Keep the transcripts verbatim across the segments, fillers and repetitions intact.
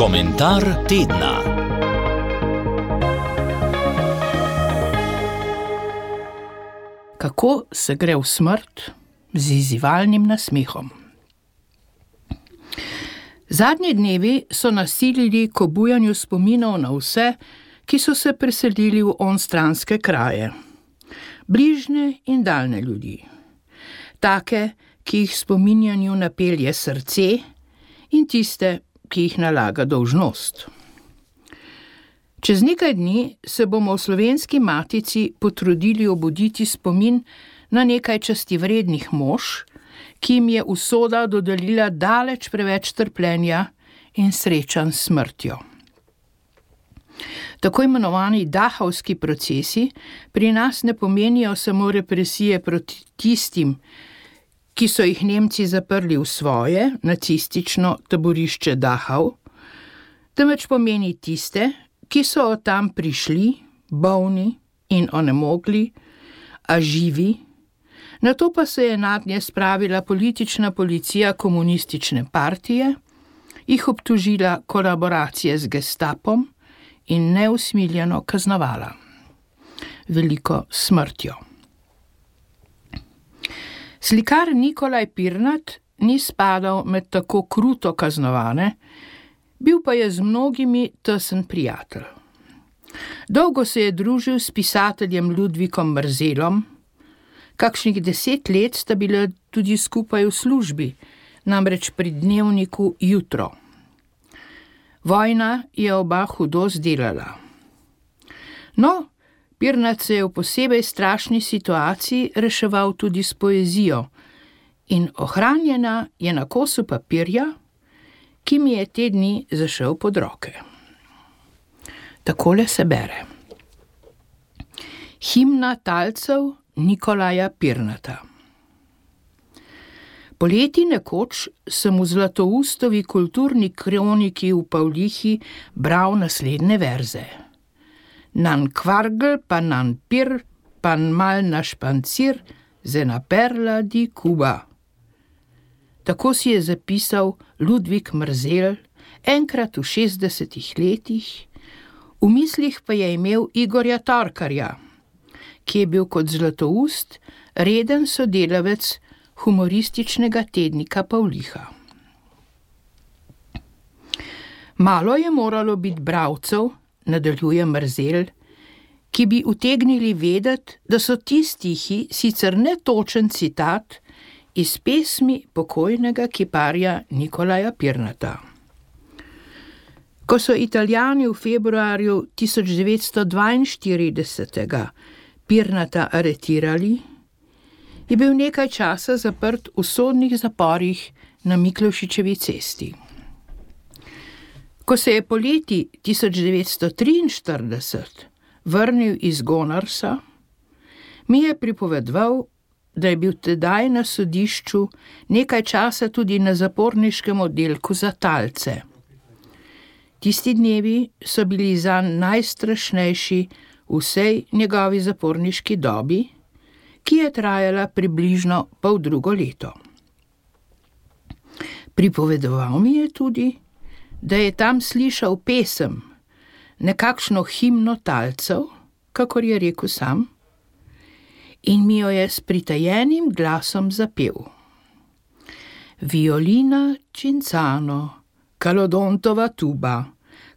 Komentar tedna. Kako se gre v smrt z izzivalnim nasmehom? Zadnji dnevi so nasilili k obujanju spominov na vse, ki so se preselili v onstranske kraje. Bližnje in daljne ljudi. Take, ki jih spominjanju napelje srce, in tiste, ki jih nalaga dolžnost. Čez nekaj dni se bomo v Slovenski matici potrudili obuditi spomin na nekaj častivrednih mož, ki jim je usoda dodelila daleč preveč trpljenja in srečanj s smrtjo. Tako imenovani dahovski procesi pri nas ne pomenijo samo represije proti tistim, ki so jih Nemci zaprli v svoje nacistično taborišče Dachau, temveč pomeni tiste, ki so od tam prišli, bolni in onemogli, a živi, nato pa se je nadnje spravila politična policija komunistične partije, jih obtožila kolaboracije z gestapom in neusmiljeno kaznovala. Veliko smrtjo. Slikar Nikolaj Pirnat ni spadal med tako kruto kaznovane, bil pa je z mnogimi tesen prijatelj. Dolgo se je družil s pisateljem Ludvikom Mrzelom, kakšnih deset let sta bila tudi skupaj v službi, namreč pri dnevniku Jutro. Vojna je oba hudo zdelala. No, Pirnat se je v posebej strašni situaciji reševal tudi s poezijo in ohranjena je na kosu papirja, ki mi je te dni zašel pod roke. Takole se bere. Himna talcev Nikolaja Pirnata. Poleti nekoč sem v Zlatoustovi kulturni kroniki v Pavlihi bral naslednje verze. Nan kvargl, pa nan pir, pa mal na špancir, zena perla di Kuba. Tako si je zapisal Ludvik Mrzel enkrat v šestdesetih letih, v mislih pa je imel Igorja Torkarja, ki je bil kot Zlatoust reden sodelavec humorističnega tednika Pavliha. Malo je moralo biti bralcev, nadaljuje Mrzel, ki bi utegnili vedeti, da so ti stihi sicer netočen citat iz pesmi pokojnega kiparja Nikolaja Pirnata. Ko so Italijani v februarju tisoč devetsto dvainštiridesetega Pirnata aretirali, je bil nekaj časa zaprt v sodnih zaporih na Miklošičevi cesti. Ko se je poleti tisoč devetsto triinštirideset vrnil iz Gonarsa, mi je pripovedoval, da je bil tedaj na sodišču nekaj časa tudi na zaporniškem oddelku za talce. Tisti dnevi so bili zanj najstrašnejši v vsej njegovi zaporniški dobi, ki je trajala približno pol drugo leto. Pripovedoval mi je tudi, da je tam slišal pesem, nekakšno himno talcev, kakor je rekel sam, in mi jo je s pritajenim glasom zapel. Violina Cinzano, Kalodontova tuba,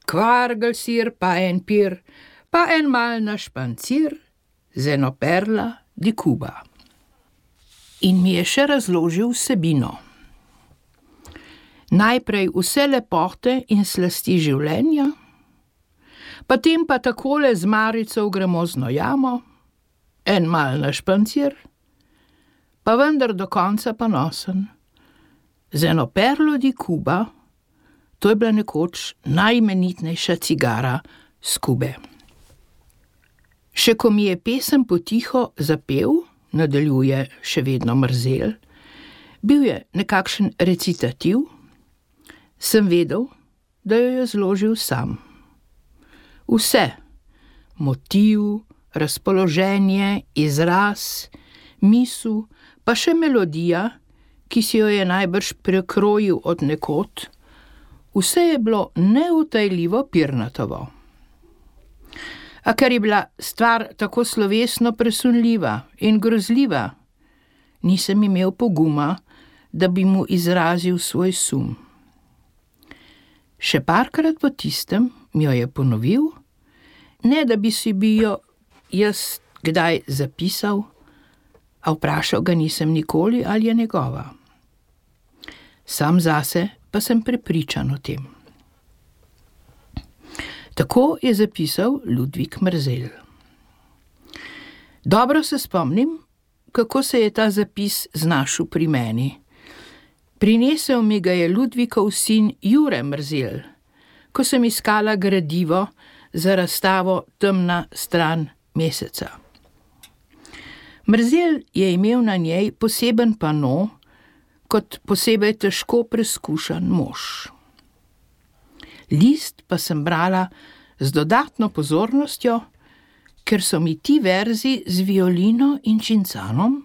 kvargl sir pa en pir, pa en mal na špancir, zeno perla di Kuba. In mi je še razložil vsebino. Najprej vse lepote in slasti življenja, potem pa takole z marico v gremozno jamo, en mal na špancir, pa vendar do konca ponosen. Z eno perlo di Kuba, to je bila nekoč najimenitnejša cigara s Kube. Še ko mi je pesem potiho zapel, nadaljuje še vedno Mrzel, bil je nekakšen recitativ, sem vedel, da jo je zložil sam. Vse, motiv, razpoloženje, izraz, misel, pa še melodija, ki si jo je najbrž prekrojil od nekod, Vse je bilo neutajljivo pirnatovo. A ker je bila stvar tako slovesno presunljiva in grozljiva, nisem imel poguma, da bi mu izrazil svoj sum. Še parkrat po tistem mi jo je ponovil, ne da bi si bi jo jaz kdaj zapisal, a vprašal ga nisem nikoli, ali je njegova. Sam zase pa sem prepričan o tem. Tako je zapisal Ludvik Mrzel. Dobro se spomnim, kako se je ta zapis znašel pri meni. Prinesel mi ga je Ludvikov sin Jure Mrzel, ko sem iskala gradivo za razstavo Temna stran meseca. Mrzel je imel na njej poseben pano, kot posebej težko preskušan mož. List pa sem brala z dodatno pozornostjo, ker so mi ti verzi z violino in čincanom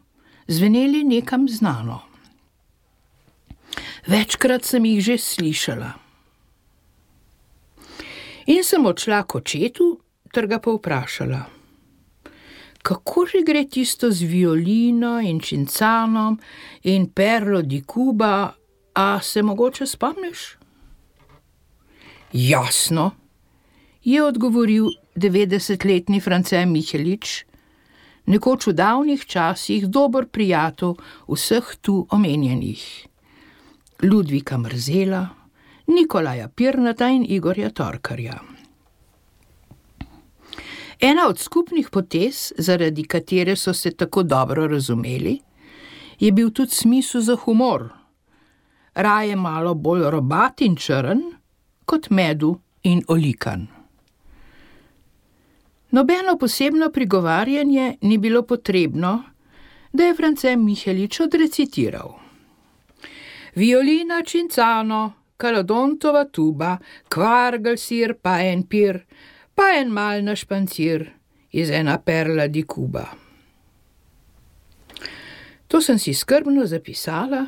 zveneli nekam znano. Večkrat sem jih že slišala. In sem odšla k očetu ter ga povprašala, kako že gre tisto z violino in čincanom in Perlo di Cuba, a se mogoče spomniš? Jasno, je odgovoril devetdesetletni France Mihelič, nekoč v davnih časih dober prijatelj vseh tu omenjenih. Ludvika Mrzela, Nikolaja Pirnata in Igorja Torkarja. Ena od skupnih potez, zaradi katere so se tako dobro razumeli, je bil tudi smisel za humor, raje malo bolj robat in črn, kot medu in olikan. Nobeno posebno prigovarjanje ni bilo potrebno, da je France Mihelič odrecitiral. Violina Cincano, Calodontova tuba, kvargel sir, pa en pir, pa en mal na špancir iz ena Perla di Cuba. To sem si skrbno zapisala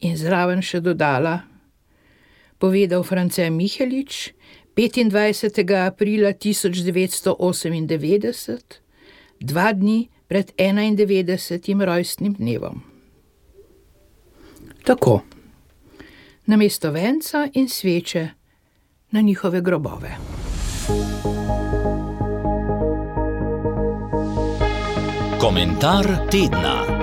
in zraven še dodala, povedal France Mihelič petindvajsetega aprila tisoč devetsto osemindevetdeset, dva dni pred enaindevetdesetim rojstnim dnevom. Tako, namesto venca in sveče na njihove grobove. Komentar tedna.